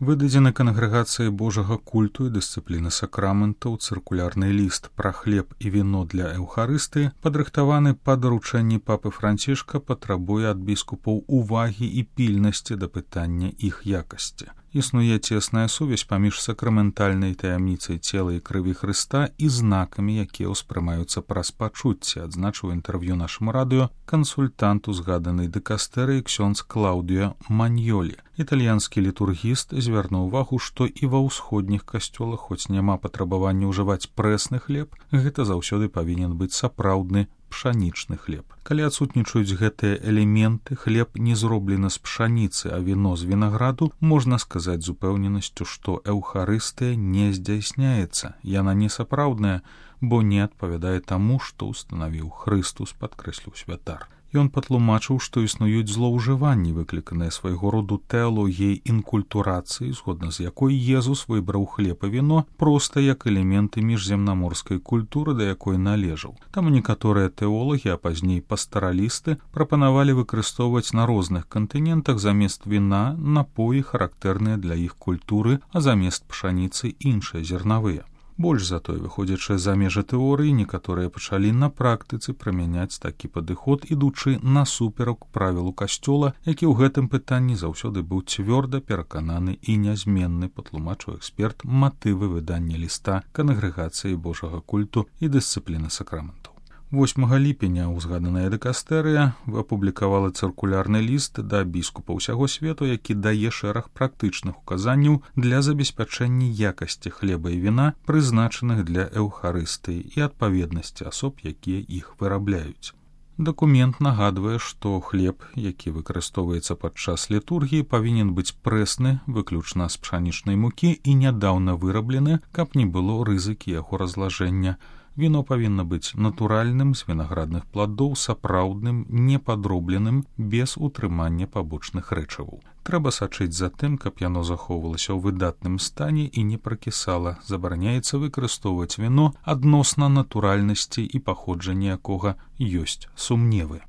Выдадзены кангрэгацыяй Божага культу і дысцыпліны сакраментаў цыркулярны ліст пра хлеб і віно для эўхарыстыі, падрыхтаваны па даручэнні папы Францішка, патрабуе ад біскупаў увагі і пільнасці да пытання іх якасці. Існуе цесная сувязь паміж сакраментальнай таямніцай цела і крыві Хрыста і знакамі, якія ўспрымаюцца праз пачуцці, адзначыў інтэрв'ю нашаму радыё кансультант узгаданай дыкастэрыі ксёндз Клаўдыё Маньёлі. Італьянскі літургіст звярнуў увагу, што і ва ўсходніх касцёлах, хоць няма патрабавання ўжываць прэсны хлеб, гэта заўсёды павінен быць сапраўдны пшанічны хлеб. Калі адсутнічаюць гэтыя элементы, хлеб не зроблены з пшаніцы, а віно з вінаграду, можна сказаць з упэўненасцю, што эўхарыстыя не здзяйсняецца. Яна не сапраўдная, бо не адпавядае таму, што ўстанавіў Хрыстус, падкрэсліў святар. Ён патлумачыў, што існуюць злоўжыванні, выкліканыя свайго роду тэалогіяй інкультурацыі, згодна з якой Езус выбраў хлеб і віно проста як элементы міжземнаморскай культуры, да якой належаў. Таму некаторыя тэолагі, а пазней пастаралісты, прапанавалі выкарыстоўваць на розных кантынентах замест віна напоі, характэрныя для іх культуры, а замест пшаніцы іншыя зернавыя. Больш за тое, выходзячы за межы тэорыі, некаторыя пачалі на практыцы прымяняць такі падыход, ідучы насуперак правілу касцёла, які ў гэтым пытанні заўсёды быў цвёрда перакананы і нязменны, патлумачыў эксперт матывы выдання ліста кангрэгацыі Божага культу і дысцыпліны сакраментаў. 8 ліпеня ўзгаданая дыкастэрыя апублікавала цыркулярны ліст да біскупа ўсяго свету, які дае шэраг практычных указанняў для забеспячэння якасці хлеба і віна, прызначаных для эўхарыстыі, і адпаведнасці асоб, якія іх вырабляюць. Дакумент нагадвае, што хлеб, які выкарыстоўваецца падчас літургіі, павінен быць прэсны, выключна з пшанічнай мукі і нядаўна выраблены, каб не было рызыкі яго разлажэння. Віно павінна быць натуральным, з вінаградных пладоў, сапраўдным, непадробленым, без утрымання пабочных рэчываў. Трэба сачыць за тым, каб яно захоўвалася ў выдатным стане і не пракісала. Забараняецца выкарыстоўваць віно адносна натуральнасці і паходжання якога ёсць сумневы.